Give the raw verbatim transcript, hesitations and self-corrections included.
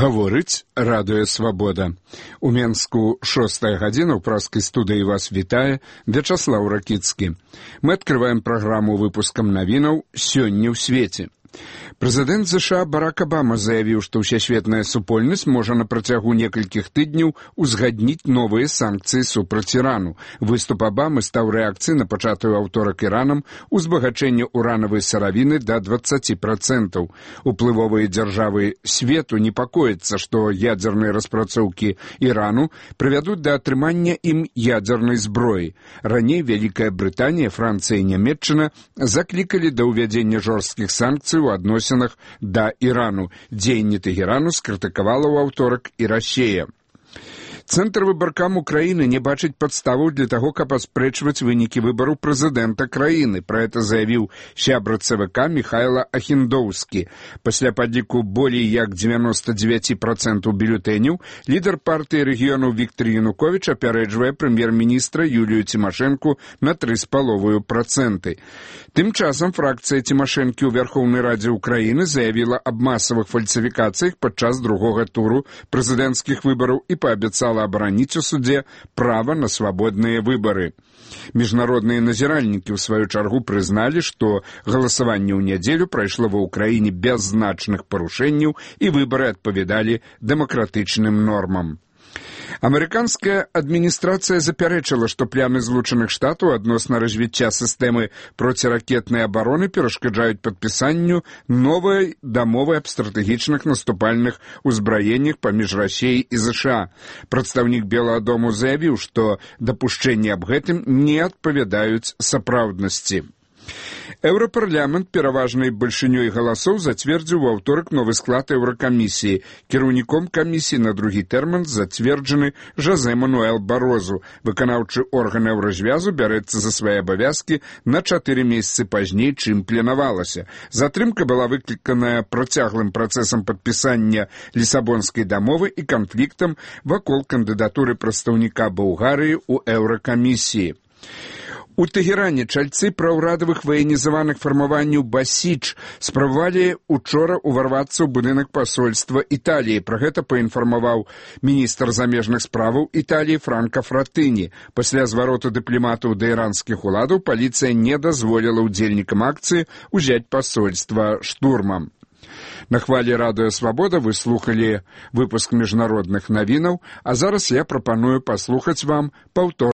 Гаворыць радыё «Свабода». У Менску шостая гадзіна, ў праскай студыі вас вітае Вячаслаў Ракіцкі. Мы адкрываем праграму выпускам навінаў «Сёння ў свеце». Прэзідэнт ЗША Барак Абама заявіў, што ўсесветная супольнасць можа на працягу некалькіх тыдняў узгадніць новыя санкцыі супраць Ірану. Выступ Абамы стаў рэакцыяй на пачатую аўторак Іранам узбагачэння уранавай сыравіны да дваццаці працэнтаў. Уплывовыя дзяржавы свету непакояцца, што ядзерныя распрацоўкі Ірану прывядуць да атрымання ім ядзернай зброі. Раней Вялікая Брытанія, Францыя і Нямецчына заклікалі да ўвядзення жорсткіх санкцый у адносінах да Ірану. Дзеянні Тэгэрану скрытыкавала ў аўторак і Расія. Цэнтр выбаркам Украіны не бачыць падставаў для таго, каб аспрэчваць вынікі выбараў прэзідэнта краіны. Пра гэта заявіў сябра ЦВК Міхайла Ахіндоўскі. Пасля падліку болей як дзевяноста дзевяці працэнтаў бюлетэняў лідар партыі рэгіёнаў Віктар Януковіч апярэджвае прэм'ер-міністра Юлію Цімашэнку на тры з паловаю працэнты. Тым часам фракцыя Цімашэнкі ў Вярхоўнай Радзе Украіны заявіла аб масавых фальсіфікацыях падчас другога туру прэзідэнцкіх выбараў і паабяцала абараніць у судзе права на свабодныя выбары. Міжнародныя назіральнікі ў сваю чаргу прызналі, што галасаванне ў нядзелю прайшло ва ўкраіне без значных парушэнняў і выбары адпавядалі дэмакратычным нормам. Амерыканская адміністрацыя запярэчыла, што планы Злучаных Штатаў адносна развіцця сістэмы проціракетнай абароны перашкаджаюць падпісанню новай дамовы аб стратэгічных наступальных узбраеннях паміж Расіяй і ЗША. Прадстаўнік Белага дому заявіў, што дапушчэнні аб гэтым не адпавядаюць сапраўднасці. Еўрапарламент пераважнай бальшынёй галасоў зацвердзіў у аўторак новы склад еўракамісіі. Кіраўніком камісіі на другі тэрмін зацверджаны Жозе Мануэл Барозу. Выканаўчы орган еўразвязу бярэцца за свае абавязкі на чатыры месяцы пазней, чым планавалася. Затрымка была выкліканая працяглым працэсам падпісання Лісабонскай дамовы і канфліктам вакол кандыдатуры прадстаўніка Балгарыі ў еўракамісіі. У Тэгеране чальцы праўрадавых ваенізаваных фармаванняў «Басідж» спрабавалі учора ўварвацца ў будынак пасольства Італіі. Пра гэта паінфармаваў міністр замежных справаў Італіі Франка Фратыні. Пасля звароту дыпламатаў да іранскіх уладаў паліцыя не дазволіла ўдзельнікам акцыі ўзяць пасольства штурмам. На хвалі радыё «Свабода» вы слухалі выпуск міжнародных навінаў, а зараз я прапаную паслухаць вам паўтор